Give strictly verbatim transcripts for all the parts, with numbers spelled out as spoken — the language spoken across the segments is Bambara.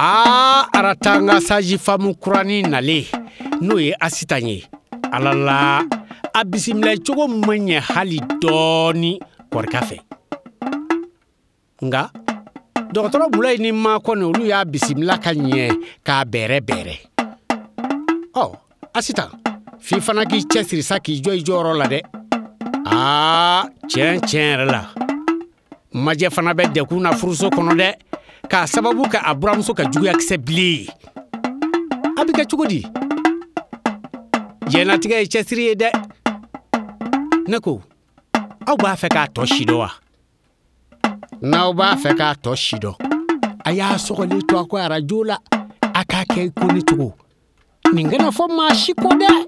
Aa, Aratanga sage-femme kuranin nalen, n'o ye Asitan ye. Ala la, a bisimila cogo ma ɲɛ hali dɔɔni Kɔrika fɛ. Nka dɔgɔtɔrɔ Mulayi ni Makɔni olu y'a bisimila ka ɲɛ k'a bɛrɛ bɛrɛ. Ɔ, Asitan, f'i fana k'i cɛsiri sa k'i jɔ i jɔyɔrɔ la dɛ. Aa, tiɲɛ tiɲɛ yɛrɛ la, Majɛ fana bɛ dɛkun na furuso kɔnɔ dɛ, k'a sababu kɛ a buramuso ka juguyakisɛ bilen ye. A bɛ kɛ cogo di? Diɲɛlatigɛ ye cɛsiri ye dɛ. Ne ko, aw b'a fɛ k'a tɔ si dɔn wa? N'aw b'a fɛ k'a tɔ si dɔn, a y'a sɔgɔlen to a ko arajo la, a k'a kɛ i ko ne cogo. Nin kana fɔ maa si kɔ dɛ.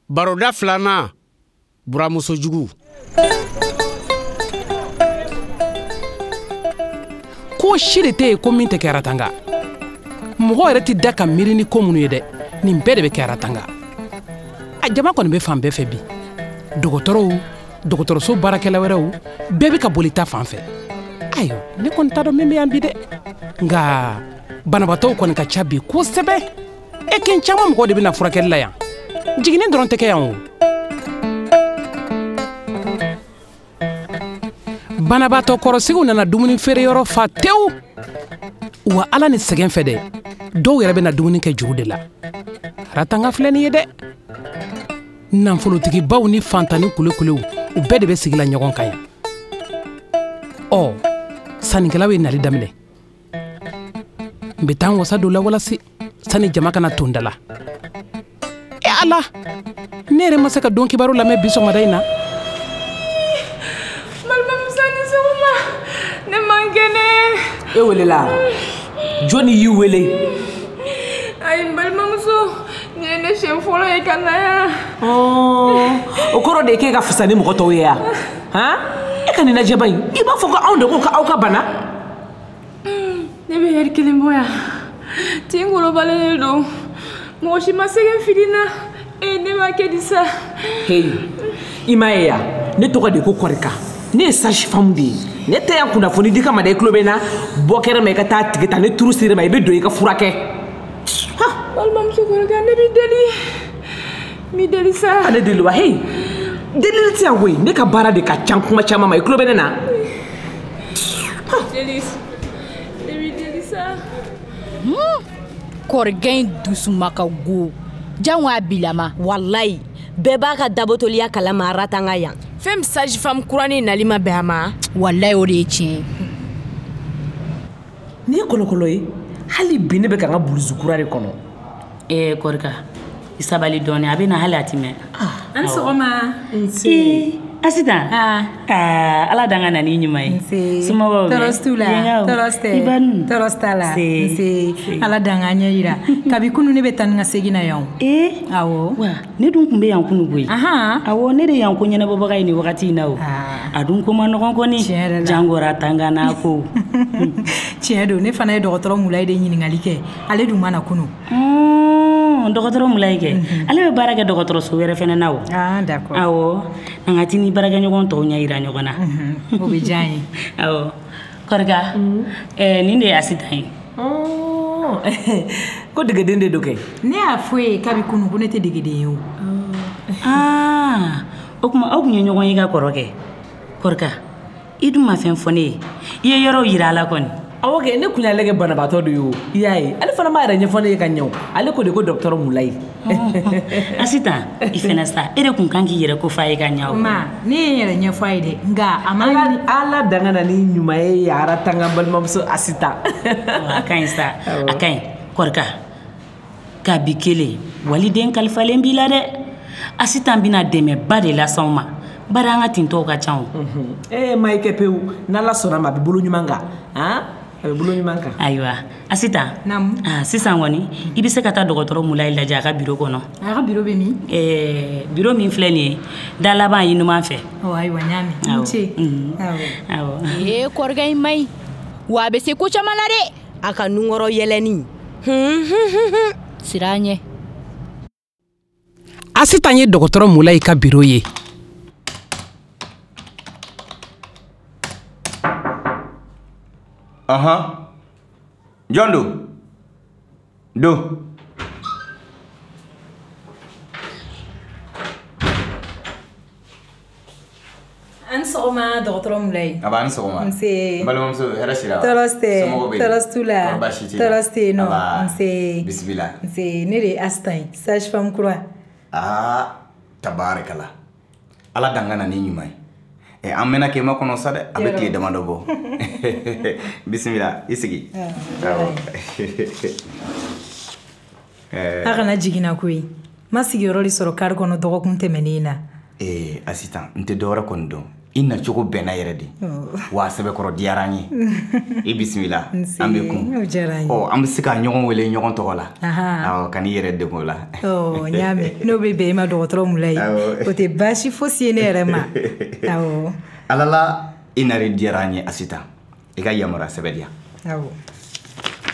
Baroda filanan, buramuso jugu. Ko si de tɛ yen ko min tɛ kɛ Aratanga. Mɔgɔ yɛrɛ tɛ da ka miiri ni ko minnu ye dɛ, nin bɛɛ de bɛ kɛ Aratanga. A jama kɔni bɛ fan bɛɛ fɛ bi. Dɔgɔtɔrɔw, dɔgɔtɔrɔso baarakɛla wɛrɛw, bɛɛ bɛ ka boli ta fan fɛ. Ayiwa, ne kɔni t'a dɔn min bɛ yan bi dɛ. Nka banabaatɔw kɔni ka ca bi kosɛbɛ. E kin caman mɔgɔ de bɛ na furakɛli la yan. Jiginni dɔrɔn tɛ kɛ yan o. Banabaatɔ kɔrɔsigiw nana dumuni feereyɔrɔ fa tewu. Wa Ala ni sɛgɛn fɛ dɛ, dɔw yɛrɛ bɛ na dumuni kɛ juru de la. Aratanga filɛ nin ye dɛ. Nafolotigibaw ni fantanni kulekulew, u bɛɛ de bɛ sigi la ɲɔgɔn kan yan. Ɔ, sannikɛlaw ye nali daminɛ. N bɛ taa n wasa don la walasi sani jama kana ton da la. E Ala, ne yɛrɛ ma se ka don kibaru lamɛn bi sɔgɔmada in na. Balimamuso ni sɔgɔma, ne man kɛnɛ. E welela? Jɔnni y'i wele? Ayi, n balimamuso, nin ye ne siɲɛ fɔlɔ ye ka na yan. O kɔrɔ de ye k'e ka fisa ni mɔgɔ tɔw ye yan? Han? E ka nin lajɛba in, i b'a fɔ ko anw de ko k'aw ka bana? Ne bɛ ɛri kelen bɔ yan. Tin golobalen de don. Mɔgɔ si ma sɛgɛn fili n na. E ne b'a kɛ di sa? Heyi, i m'a ye yan, ne tɔgɔ de ko Kɔrika. Ne ye sage-femme de ye. Ne tɛ yan kunnafoni di kama dɛ, i tulo bɛ n na. Bɔ kɛnɛ ma i ka taa tigi ta, ni turu ser'i ma i bɛ don i ka furakɛ. Balimamuso Kɔrika, ne b'i deli. N b'i deli sa. Ale deli wa? Heyi, delili tɛ yan koyi. Ne ka baara de ka ca kuma caman ma, i tulo bɛ ne na. Deli, ne b'i deli sa. Kɔrikɛ in dusuma ka go. Jango a bilama. Walayi, bɛɛ b'a ka dabotoliya kalama Aratanga yan. Fɛn min sage-femme kuranin nali ma bɛn a ma. Walayi, o de ye tiɲɛ ye. Nin ye kɔlɔkɔlɔ ye. Hali bi ne bɛ ka n ka bulusu kura de kɔnɔ. Ee Kɔrika, i sabali dɔɔni, a bɛ na hali a ti mɛn. An sɔgɔma. Nse. Asitan. Aa, Ala dan ka na n'i ɲuman ye. Nse. Somɔgɔw bɛ? Tɔɔrɔ t'u la. Tɔɔrɔ tɛ. I ba dun? Tɔɔrɔ t'a la. Nse. Nse. Ala dan k'an ɲɛ yira. Kabi kunu ne bɛ taa ni ka segin na yan. Ee. Awɔ. Wa ne dun tun bɛ yan kunu koyi. Ahan. Awɔ, ne de yan ko ɲɛnabɔbaga ye nin wagati in na o. A dun ko ma nɔgɔn kɔni. Tiɲɛ yɛrɛ la. Jango Aratanga n'a ko. Tiɲɛ don, ne fana ye dɔgɔtɔrɔ Mulayi de ɲininkali kɛ. Ale dun ma na kunu. Dɔgɔtɔrɔ Mulayi kɛ. Ale bɛ baara kɛ dɔgɔtɔrɔso wɛrɛ fɛnɛ na o. Ah, d'accord. Awɔ, an ka t'i ni baarakɛɲɔgɔn tɔw ɲɛ yira ɲɔgɔn na. O bɛ diya n ye. Awɔ. Kɔrika, ɛɛ nin de ye Asitan ye. Ko degeden de don kɛ? Ne y'a fɔ ye kabi kunu ko ne tɛ degeden ye o. Aa, o tuma aw tun ye ɲɔgɔn ye ka kɔrɔ kɛ. Kɔrika, I dun ma fɛn fɔ ne ye. I ye yɔrɔw yira a la kɔni. Awɔ kɛ, ne kun y'ale kɛ banabaatɔ de ye o. I y'a ye, ale fana m'a yɛrɛ ɲɛfɔ ne ye ka ɲɛ o. Ale ko de ko dɔgɔtɔrɔ Mulayi. Asitan, i fɛnɛ sa, e de kun kan k'i yɛrɛ ko f'a ye ka ɲɛ o. Ma, ne ye n yɛrɛ ɲɛfɔ a ye dɛ, nka a ma Ala Ala danga na ni ɲuman ye Aratanga balimamuso Asitan. A ka ɲi sa, a ka ɲi. Kɔrika, kabi kelen, waliden kalifalen b'i la dɛ. Asitan bɛna dɛmɛba de las'anw ma. Bari an ka tintɔw ka ca o. Ee ma i kɛ pewu, n'Ala sɔnna ma a bɛ bolo ɲuman kan. Han? A bɛ bolo ɲuman kan. Ayiwa, Asitan. Naamu. Ah, sisan kɔni, i bɛ se ka taa dɔgɔtɔrɔ Mulayi lajɛ a ka biro kɔnɔ. A ka biro bɛ min? Ɛɛ, biro min filɛ nin ye, da laban ye numan fɛ. Ɔ ayiwa, n y'a mɛn. N ce. Awɔ. Awɔ. Ee kɔrɔkɛ in man ɲi. Wa a bɛ se ko caman na dɛ. A ka nunkɔrɔ yɛlɛnni. Hun hun hun. Siran ɲɛ. Asitan ye dɔgɔtɔrɔ Mulayi ka biro ye. Ahan. Jɔn don? Don. An sɔgɔma dɔgɔtɔrɔ Mulayi. A b'a ni sɔgɔma. Nse. N balimamuso hɛrɛ sira. Tɔɔrɔ tɛ. Somɔgɔw bɛ di? Tɔɔrɔ t'u la. Kɔri baasi t'i la? Tɔɔrɔ tɛ yen nɔ. Aba. Nse. Bisimila. Nse, ne de ye Asitan ye, sage femme kura. Aa, tabaarikala. Ala dan ka na ni ɲuman ye. Ɛ an mɛnna k'e makɔnɔ sa dɛ, a bɛ tile damadɔ bɔ. Bisimila, i sigi. Awɔ. A kana jiginna koyi. N ma sigiyɔrɔ de sɔrɔ kari kɔnɔ dɔgɔkun tɛmɛnen na. Ee Asitan, n tɛ dɔwɛrɛ kɔni dɔn. I nacogo bɛnna yɛrɛ de. Wa a sɛbɛkɔrɔ diyara an ye. I bisimila, an bɛ kun. O diyara n ye. Ɔ, an bɛ se ka ɲɔgɔn wele ɲɔgɔn tɔgɔ la. Ahan. Awɔ, kan'i yɛrɛ degun o la. Ɔ, n y'a mɛn. N'o bɛ bɛn i ma dɔgɔtɔrɔ Mulayi. Awɔ. O tɛ baasi fosi ye ne yɛrɛ ma. Awɔ. Ala la, i nari diyara an ye Asitan. I ka yamaruya sɛbɛn di yan. Awɔ.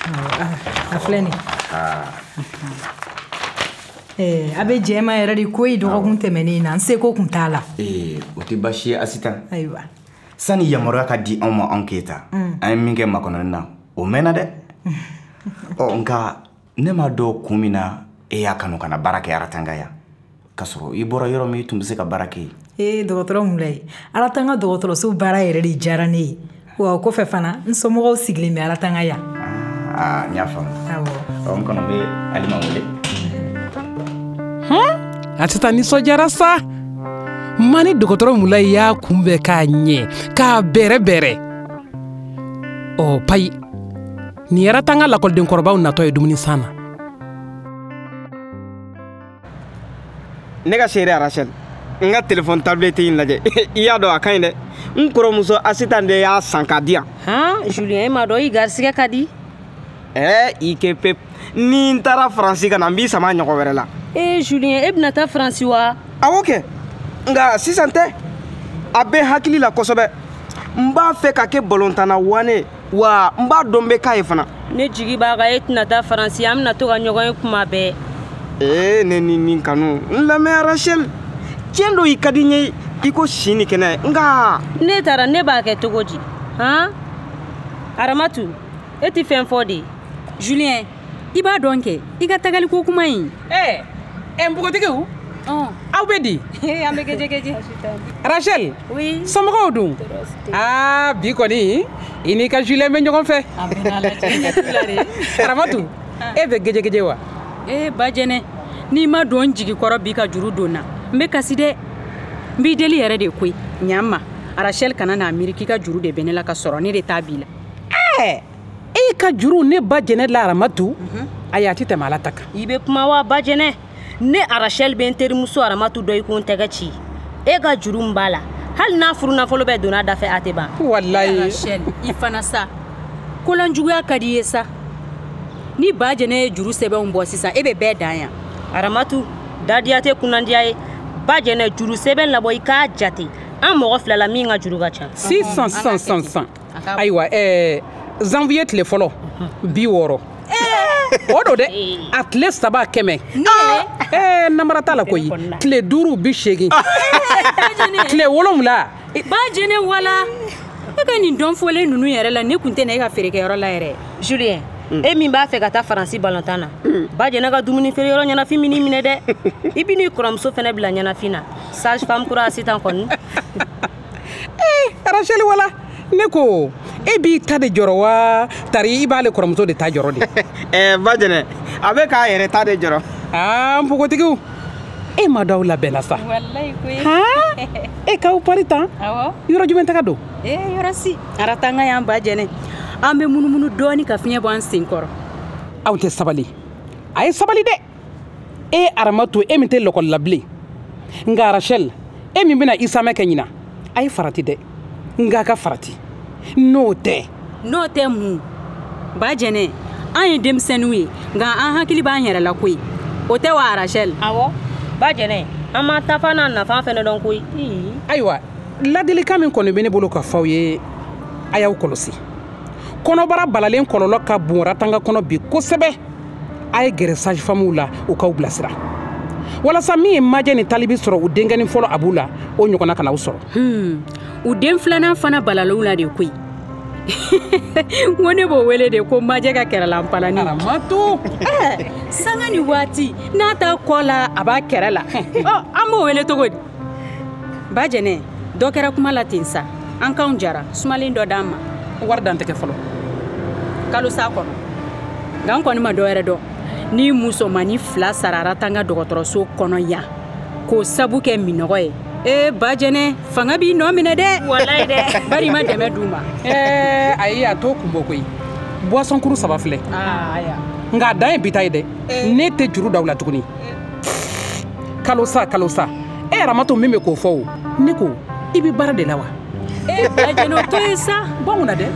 Awɔ, a filɛ nin ye. Aa. Ɛɛ, a bɛ jɛ ma yɛrɛ de koyi dɔgɔkun tɛmɛnen na, n seko kun t'a la. Ee, o tɛ baasi ye Asitan. Ayiwa. Sani yamaruya ka di anw ma anw Keyita, an ye min kɛ makɔnɔni na, o mɛnna dɛ. Ɔ, nka ne m'a dɔn kun min na e y'a kanu ka na baara kɛ Aratanga yan. K'a sɔrɔ i bɔra yɔrɔ min i tun bɛ se ka baara kɛ yen. Ee dɔgɔtɔrɔ Mulayi, Aratanga dɔgɔtɔrɔso baara yɛrɛ de diyara ne ye. Wa o kɔfɛ fana, n somɔgɔw sigilen bɛ Aratanga yan. Aa, n y'a faamu. Awɔ. Ɔ, n kɔnɔ bɛ Alima wele. Asitan nisɔndiyara sa. Ma ni dɔgɔtɔrɔ Mulayi y'a kunbɛn k'a ɲɛ, k'a bɛrɛ bɛrɛ. Ɔ payi, nin ye Aratanga lakɔlidenkɔrɔbaw natɔ ye dumuni san na. Ne ka seere Arachel, n ka téléphone tablette in lajɛ. I y'a dɔn a ka ɲi dɛ. N kɔrɔmuso Asitan de y'a san k'a di yan. Han, Julien, e m'a dɔn i garisigɛ ka di. Ɛɛ, i ke pep. Ni n taara Faransi ka na, n b'i sama ɲɔgɔn wɛrɛ la. Ee Julien, e bɛna taa Faransi wa? Awɔ kɛ. Nka sisan tɛ. A bɛ hakili la kosɛbɛ. N b'a fɛ ka kɛ balontanna wane, wa n b'a dɔn n bɛ k'a ye fana. Ne jigi b'a kan e tɛna taa Faransi, an bɛna to ka ɲɔgɔn ye kuma bɛɛ. Ee ne ni nin kanu. N lamɛn Arachel. Tiɲɛ don i ka di n ye i ko si ni kɛnɛ, nka. Ne taara ne b'a kɛ cogo di? Han? Aramatu, e tɛ fɛn fɔ de. Julien, i b'a dɔn kɛ, i ka tagaliko kuma in. Ɛɛ, ɛ npogotigiw, aw bɛ di? An bɛ gejegeje. Rachel, oui. Somɔgɔw dun? Aa, bi kɔni, i n'i ka Julien bɛ ɲɔgɔn fɛ. Aramatu, e bɛ gejegeje wa? Ee Bajɛnɛ, n'i ma don n jigi kɔrɔ bi ka juru don n na, n bɛ kasi dɛ. N b'i deli yɛrɛ de koyi, ɲa n ma. Rachel kana n'a miiri k'i ka juru de bɛ ne la ka sɔrɔ ne de t'a b'i la. Ɛɛ, e ka juru ne ba Jɛnɛ la Aramatu, ayi a tɛ tɛmɛ Ala ta kan. I bɛ kuma wa Bajɛnɛ? Ne Arachel bɛ n terimuso Aramatu dɔ i ko n tɛgɛ ci. E ka juru min b'a la, hali n'a furu nafolo bɛɛ donna da fɛ a tɛ ban. Walayi. Rachel, i fana sa. Kolanjuguya ka di i ye sa. Ni ba Jɛnɛ ye juru sɛbɛnw bɔ sisan, e bɛ bɛɛ dan yan. Aramatu, dadiya tɛ kunnandiya ye. Ba Jɛnɛ juru sɛbɛn labɔ i k'a jate. An mɔgɔ fila la min ka juru ka ca. Sisan sisan sisan sisan. Ayiwa ɛɛ janvier tile fɔlɔ, bi wɔɔrɔ. O don dɛ, a tile saba kɛmɛ. Ɛɛ namara t'a la koyi. Tile duuru bi seegin. Tile wolonwula. Ba Jɛnɛ wala. E ka nin dɔn fɔlen ninnu yɛrɛ la, ne kun tɛ na e ka feerekɛyɔrɔ la yɛrɛ. Julien, e min b'a fɛ ka taa Faransi balontan na, ba Jɛnɛ ka dumuni feere yɔrɔ ɲɛnafin min minɛ dɛ. I bɛ n'i kɔrɔmuso fɛnɛ bila ɲɛnafin na. Sage femme kura Asitan kɔni. Eh, Rachel wala ne ko e b'i ta de jɔrɔ wa tari i b'ale kɔrɔmuso de ta jɔrɔ de? Ɛɛ Bajɛnɛ, a bɛ k'a yɛrɛ ta de jɔrɔ. Aa npogotigiw, e ma dɔw labɛnna sa. Walayi koyi. Han, e k'aw pari tan? Awɔ. Yɔrɔ jumɛn taga don? Ee yɔrɔ si Aratanga y'an Bajɛnɛ, an bɛ munumunu dɔɔni ka fiɲɛ bɔ an sen kɔrɔ. Aw tɛ sabali, a ye sabali dɛ. E Aramatu, e min tɛ lɔkɔli la bilen, nka Rachel, e min bɛna isamɛ kɛ ɲina, a ye farati dɛ, nka a ka farati n'o tɛ. N'o tɛ mun Bajɛnɛ, an ye denmisɛnninw ye nka an hakili b'an yɛrɛ la koyi, o tɛ wa Rachel? Awɔ Bajɛnɛ, an ma tafa n'a nafa fɛnɛ dɔn koyi. Ayiwa, ladilikan min kɔni bɛ ne bolo ka fɔ aw ye, a y'aw kɔlɔsi. Kɔnɔbara balalen kɔlɔlɔ ka bon Ratanga kɔnɔ bi kosɛbɛ. A ye gɛrɛ sage-femmew la u k'aw bilasira, walasa min ye Majɛ ni Talibi sɔrɔ u denkɛnin fɔlɔ Abu la, o ɲɔgɔnna kana aw sɔrɔ. Hmm, u den filanan fana balalaw la de koyi. N ko ne b'o wele de ko Majɛ ka kɛrɛlanpalani. Aramatu, sanga ni waati n'a t'a kɔ la a b'a kɛrɛ la. Ɔ an b'o wele cogo di? Bajɛnɛ, dɔ kɛra kuma la ten sa, an k'anw jara sumalen dɔ d'an ma. Wari dan tɛ kɛ fɔlɔ. Kalo sa kɔnɔ. Nka n kɔni ma dɔ wɛrɛ dɔn. Ni musomannin fila sara Aratanga dɔgɔtɔrɔso kɔnɔ yan k'o sabu kɛ minɔgɔ ye. Ee Bajɛnɛ, fanga b'i nɔ minɛ dɛ. Walayi dɛ. Bari i ma dɛmɛ d'u ma. Ɛɛ ayi, a t'o kun bɔ koyi. Boisson kuru saba filɛ. Nka a dan ye bi ta ye dɛ. Ne tɛ juru d'aw la tuguni. Kalo sa kalo sa. E Aramatu min bɛ k'o fɔ o, ne ko i bɛ baara de la wa? Ee Bajɛnɛ, o to yen sa. Bɔ mun na dɛ?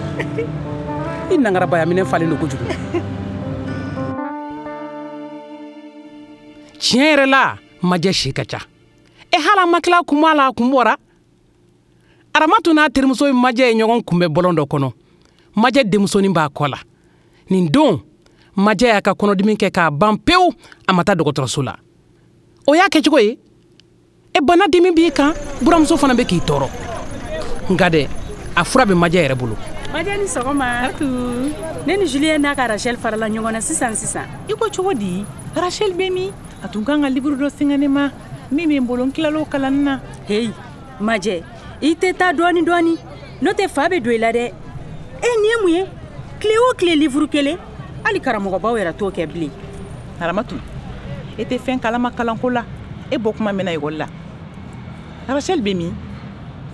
I nangarabaya minɛ falen don kojugu. Tiɲɛ yɛrɛ la, Majɛ si ka ca. E hali a ma tila kuma la, a kun bɔra. Aramatu n'a terimuso ye Majɛ ye ɲɔgɔn kunbɛn bɔlɔn dɔ kɔnɔ. Majɛ denmusonin b'a kɔ la. Nin don, Majɛ y'a ka kɔnɔdimi kɛ k'a ban pewu, a ma taa dɔgɔtɔrɔso la. O y'a kɛcogo ye. E bana dimi b'i kan, buramuso fana bɛ k'i tɔɔrɔ. Nka dɛ, a fura bɛ Majɛ yɛrɛ bolo. Majɛ ni sɔgɔma. Ne ni Julien n'a ka Rachel farala ɲɔgɔn na sisan sisan. I ko cogo di? Rachel bɛ min? A tun kan ka livre dɔ singa ne ma min bɛ n bolo, n tilal'o kalanni na. Heyi Majɛ, i tɛ taa dɔɔni dɔɔni, n'o tɛ fa bɛ don i la dɛ. E nin ye mun ye? Tile o tile livre kelen, hali karamɔgɔbaw yɛrɛ t'o kɛ bilen. Aramatu, e tɛ fɛn kalama kalanko la, e bɔ kuma mɛnna ekɔli la. Rachel bɛ min?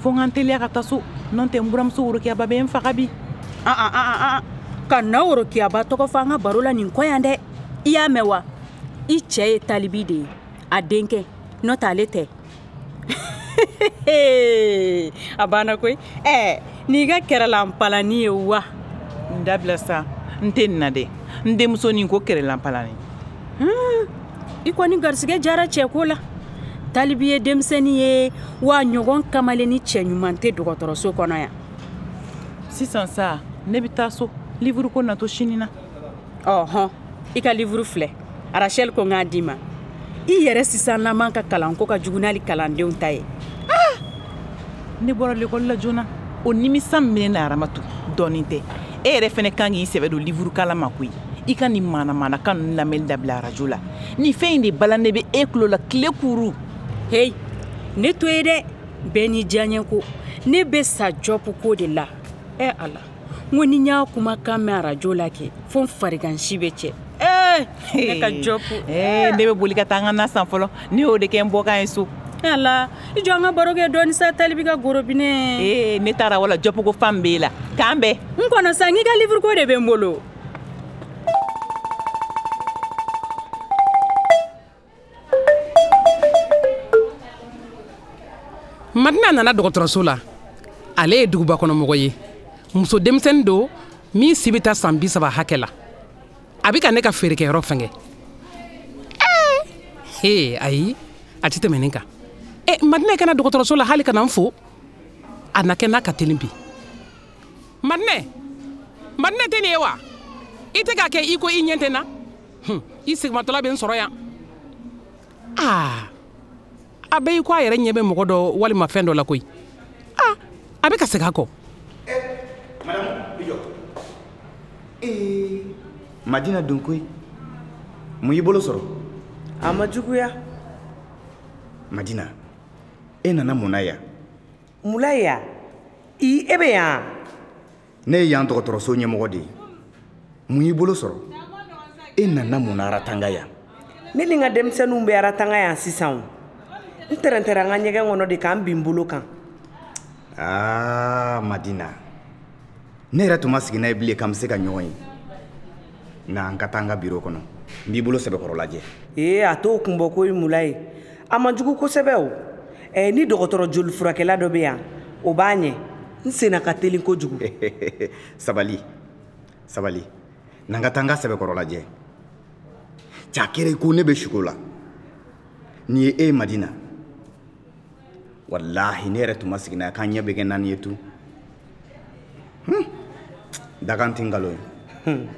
Fo n ka n teliya ka taa so, n'o tɛ n buramuso Worokiyaba bɛ n faga bi. An an an an, ka na Worokiyaba tɔgɔ fɔ an ka baro la nin kɔ yan dɛ. I y'a mɛn wa? I cɛ ye Talibi de ye, a denkɛ, n'o tɛ ale tɛ. A banna koyi. Ɛɛ n'i ka kɛrɛlanpalani ye wa? N dabila sa, n tɛ nin na dɛ. N denmusonin ko kɛrɛlanpalani. I kɔni garisɛgɛ jara cɛ ko la. Talibi ye denmisɛnnin ye wa ɲɔgɔn kamalen ni cɛ ɲuman tɛ dɔgɔtɔrɔso kɔnɔ yan. Sisan sa, ne bɛ taa so, livre ko natɔ sini na. Ɔhɔn, i ka livre filɛ. Rachel ko n k'a d'i ma. I yɛrɛ sisanlama ka kalanko ka jugu n'ale kalandenw ta ye. Ne bɔra lekɔli la joona, o nimisa min bɛ ne na Aramatu, dɔɔnin tɛ. E yɛrɛ fɛnɛ kan k'i sɛbɛ don livre kalan ma koyi. I ka nin manamanakan ninnu lamɛnni dabila arajo la. Nin fɛn in de balannen bɛ e tulo la tile kuru. Heyi, ne to ye dɛ. Bɛɛ n'i diyaɲɛ ko. Ne bɛ sa jɔpu ko de la. Ɛ Ala, n ko ni n y'a kumakan mɛn arajo la kɛ, fo n farigansi bɛ cɛ. Ee ne ka jɔpu. Ee ne bɛ boli ka taa n ka na san fɔlɔ. Ne y'o de kɛ n bɔkan ye so. Ala, i jɔ an ka baro kɛ dɔɔni sa, Talibi ka gorobinɛ. Ee ne taara wala jɔpu ko fan b'e la. K'an bɛn. N kɔnɔ sa, n k'i ka livre ko de bɛ n bolo. Madina nana dɔgɔtɔrɔso la. Ale ye duguba kɔnɔmɔgɔ ye. Muso denmisɛnnin don min si bɛ taa san bi saba hakɛ la. A bɛ ka ne ka feerekɛyɔrɔ fɛngɛ. Ee ayi, a tɛ tɛmɛ nin kan. E Madina kana dɔgɔtɔrɔso la hali ka na n fo. A na kɛ n'a ka teli bi. Madina, Madina tɛ nin ye wa? I tɛ k'a kɛ i ko i ɲɛ tɛ n na? Hun, i segimatɔla bɛ n sɔrɔ yan. Aa, a bɛ i ko a yɛrɛ ɲɛ bɛ mɔgɔ dɔ walima fɛn dɔ la koyi. Aa, a bɛ ka segin a kɔ. Madame, i jɔ. Ee, Madina don koyi. Mun y'i bolo sɔrɔ? A ma juguya. Madina, e nana mun na yan? Mulayi ya i e bɛ yan. Ne ye yan dɔgɔtɔrɔso ɲɛmɔgɔ de ye. Mun y'i bolo sɔrɔ? E nana mun na Aratanga yan? Ne ni n ka denmisɛnninw bɛ Aratanga yan sisan o. N tɛrɛntɛra n ka ɲɛgɛn kɔnɔ de k'an bin n bolo kan. Aa Madina, ne yɛrɛ tun ma sigi n'a ye bilen k'an bɛ se ka ɲɔgɔn ye. Na an ka taa n ka biro kɔnɔ, n b'i bolo sɛbɛkɔrɔ lajɛ. Ee a t'o kun bɔ koyi Mulayi. A man jugu kosɛbɛ o. Ɛ ni dɔgɔtɔrɔ joli furakɛla dɔ bɛ yan, o b'a ɲɛ. N senna ka teli kojugu. Sabali, sabali. Na n ka taa n ka sɛbɛkɔrɔ lajɛ. Cɛ a kɛra i ko ne bɛ suko la. Nin ye e ye Madina. Walahi ne yɛrɛ tun ma sigi n'a ye k'an ɲɛ bɛ kɛ naani ye tun. Hmm. Dakan tɛ nkalon ye.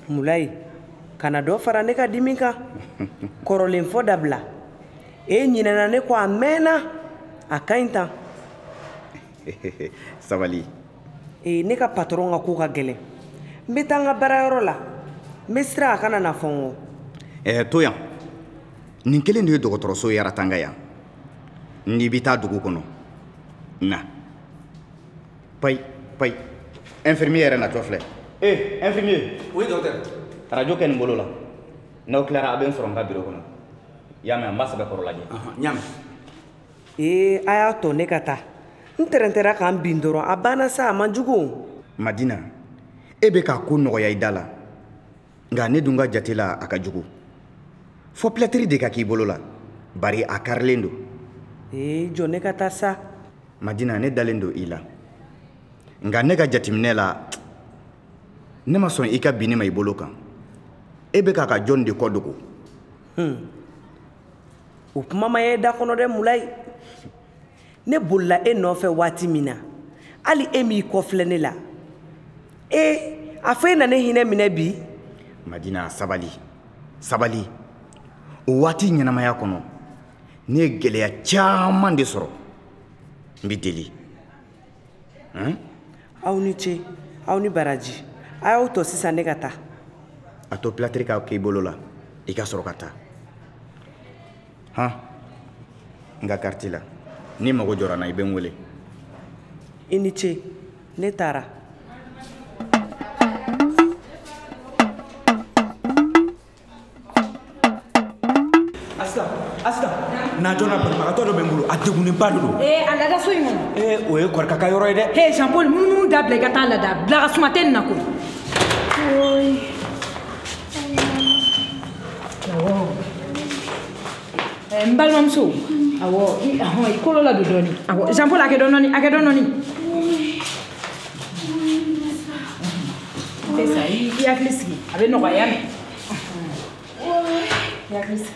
Mulayi, kana dɔ fara ne ka dimi kan. Kɔrɔlen fɔ dabila. E ɲinɛna ne kɔ a mɛnna. A ka ɲi tan. Sabali. Ee ne ka patɔrɔn ka ko ka gɛlɛn. N bɛ taa n ka baarayɔrɔ la. N bɛ siran a kana na fɔ n kɔ. Ɛɛ to yan. Nin kelen de ye dɔgɔtɔrɔso ye Aratanga yan. N'i bɛ taa dugu kɔnɔ, na. Payi, payi. Infirmier yɛrɛ natɔ filɛ. Eh, infirmier. Oui, docteur. Radio kɛ nin bolo la. N'aw tilara a bɛ n sɔrɔ n ka biro kɔnɔ. I y'a mɛn, n b'a sɛbɛkɔrɔ lajɛ. N y'a mɛn. Ee a y'a tɔ ne ka taa. N tɛrɛntɛra k'an bin dɔrɔn a banna sa a man jugu o. Madina, e bɛ k'a ko nɔgɔya i da la. Nka ne dun ka jate la a ka jugu. Fɔ pilatiri de ka k'i bolo la. Bari a karilen don. Ee jɔ ne ka taa sa. Madina, ne dalen don i la. Nka ne ka jateminɛ la, ne ma sɔn i ka bin ne ma i bolo kan. E bɛ k'a ka jɔn de kɔ dogo. Hmm. O kuma ma ye da kɔnɔ dɛ Mulayi. Ne bolila e nɔfɛ waati min na, hali e m'i kɔ filɛ ne la. Ee a fɔ e na ne hinɛ minɛ bi. Madina, sabali, sabali. O waati ɲɛnamaya kɔnɔ, ne ye gɛlɛya caman de sɔrɔ. N b'i deli. Hmm? Aw ni ce, aw ni baraji. A y'aw tɔ sisan ne ka taa. A to pilatiri ka k'i bolo la, i ka sɔrɔ ka taa. Han, n ka kariti la. N'i mago jɔra n na, i bɛ n wele. I ni ce, ne taara. Asitan, Asitan, na joona banabagatɔ dɔ bɛ n bolo, a degunnenba de don. Ee a lada so in kɔnɔ. Ee o ye Kɔrika ka yɔrɔ ye dɛ. He Jean Paul, munumunu dabila i ka taa lada. Bila ka suma tɛ nin na koyi. Awɔ. N balimamuso, awɔ, i hɔn i kolo ladon dɔɔni. Awɔ, Jean Paul a kɛ dɔɔni dɔɔni, a kɛ dɔɔni dɔɔni. Tɛ sa, i hakili sigi, a bɛ nɔgɔya mɛn. I hakili sigi.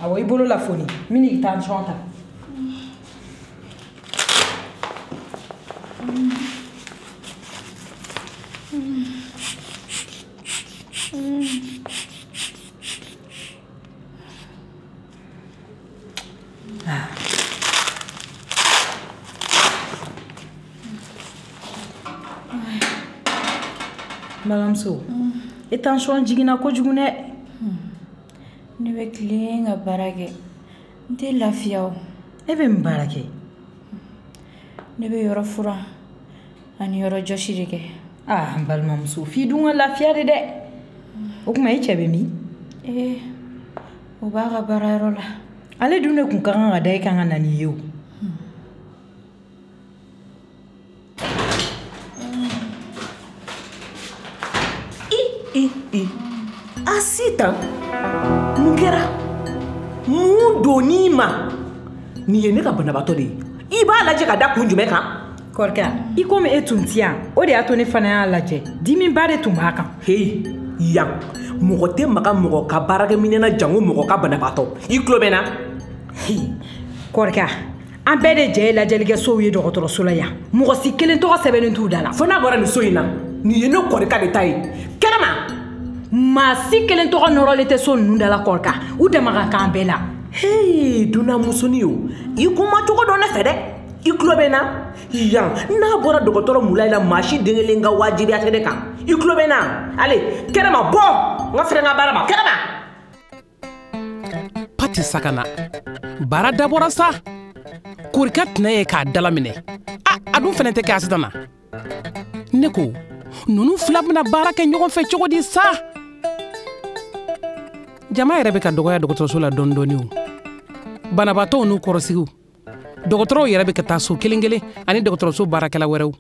Awɔ, i bolo lafoni, n bɛna i tension ta. N balimamuso, e tension jiginna kojugu dɛ. Ne bɛ tilen ka baara kɛ. N tɛ lafiya o. E bɛ mun baara kɛ? Ne bɛ yɔrɔ furan ani yɔrɔ jɔsi de kɛ. Aa n balimamuso, f'i dun ka lafiya de dɛ. O tuma e cɛ bɛ min? Ee o b'a ka baarayɔrɔ la. Ale dun de tun ka kan ka da e kan ka na n'i ye o. I i Asitan, mun kɛra? Mun donn'i ma? Nin ye ne ka banabaatɔ de ye. I b'a lajɛ ka da kun jumɛn kan? Kɔrika, i komi e tun ti yan, o de y'a to ne fana y'a lajɛ. Dimiba de tun b'a kan. Heyi, yan, mɔgɔ tɛ maga mɔgɔ ka baarakɛminɛn na jango mɔgɔ ka banabaatɔ. I tulo bɛ n na? Heyi, Kɔrika, an bɛɛ de jɛ ye lajɛlikɛsow ye dɔgɔtɔrɔso la yan. Mɔgɔ si kelen tɔgɔ sɛbɛnnen t'u da la. Fo n'a bɔra nin so in na, nin ye ne Kɔrika de ta ye. Kɛnɛma! Maa si kelen tɔgɔ nɔrɔlen tɛ so ninnu da la Kɔrika. U dama ka kan bɛɛ la. Heyi, dunanmusonin o, i kuma cogo dɔn ne fɛ dɛ. I tulo bɛ n na? Yan, n'a bɔra dɔgɔtɔrɔ Mulayi la, maa si den kelen ka wajibiya tɛ ne kan. I tulo bɛ n na? Ale, kɛnɛma bɔ! N ka fɛrɛ n ka baara ma, kɛnɛma! K'a tɛ sakana. Baara dabɔra sa. Korika tɛnɛ ye k'a dalaminɛ. A, a dun fɛnɛ tɛ kɛ Asitan na. Ne ko, ninnu fila bɛna baara kɛ ɲɔgɔn fɛ cogo di sa? Jama yɛrɛ bɛ ka dɔgɔya dɔgɔtɔrɔso la dɔɔni dɔɔni o. Banabaatɔw n'u kɔrɔsigiw. Dɔgɔtɔrɔw yɛrɛ bɛ ka taa so kelen kelen ani dɔgɔtɔrɔso baarakɛla wɛrɛw.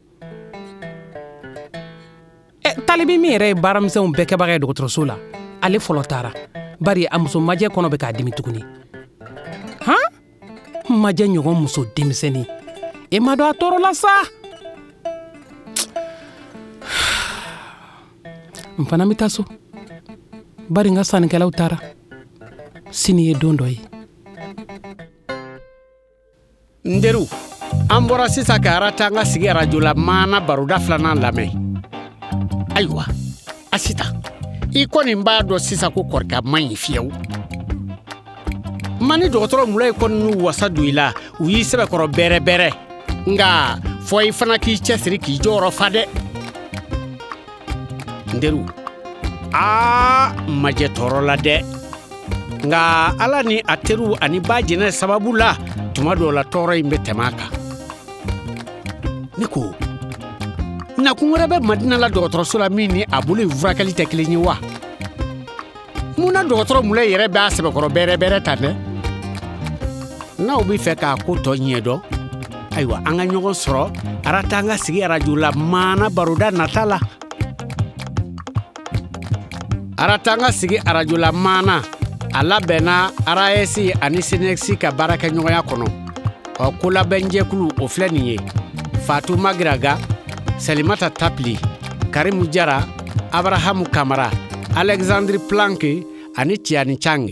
Ɛ, talibi min yɛrɛ ye baaramisɛnw bɛɛ kɛbaga ye dɔgɔtɔrɔso la, ale fɔlɔ taara. Bari a muso majɛ kɔnɔ bɛ k'a dimi tuguni. Han? Majɛ ɲɔgɔn muso denmisɛnnin. E ma dɔn a tɔɔrɔ la sa. N fana bɛ taa so. Bari n ka sannikɛlaw taara. Sini ye don dɔ ye. N teriw, an bɔra sisan ka Aratanga sigi arajo la maana baroda filanan lamɛn. Ayiwa, Asitan, i kɔni b'a dɔn sisan ko Korika man ɲi fiyewu. Ma ni dɔgɔtɔrɔ Mulayi kɔni n'u wasa don i la, u y'i sɛbɛkɔrɔ bɛrɛ bɛrɛ. Nka fɔ i fana k'i cɛsiri k'i jɔyɔrɔ fa dɛ. N teriw, aa majɛ tɔɔrɔ la dɛ. Nka Ala ni a teriw ani ba jɛnɛ sababu la, tuma dɔw la tɔɔrɔ in bɛ tɛmɛ a kan. Ne ko, nakun wɛrɛ bɛ Madina la dɔgɔtɔrɔso la min ni a bolo in furakɛli tɛ kelen ye wa? Mun na dɔgɔtɔrɔ Mulayi yɛrɛ b'a sɛbɛkɔrɔ bɛrɛ bɛrɛ tan dɛ? N'aw bɛ fɛ k'a ko tɔ ɲɛdɔn, ayiwa an ka ɲɔgɔn sɔrɔ Aratanga sigi arajo la maana baroda nata la. Aratanga sigi arajo la maana a labɛnna A R A S ani SYNECS ka baarakɛɲɔgɔnya kɔnɔ. Ɔ kolabɛnjɛkulu o filɛ nin ye: Fatu Magiraga, Salimata Tapili, Karimu Jara, Abrahamu Kamara, Alexandre Planck ani Tiani Chang.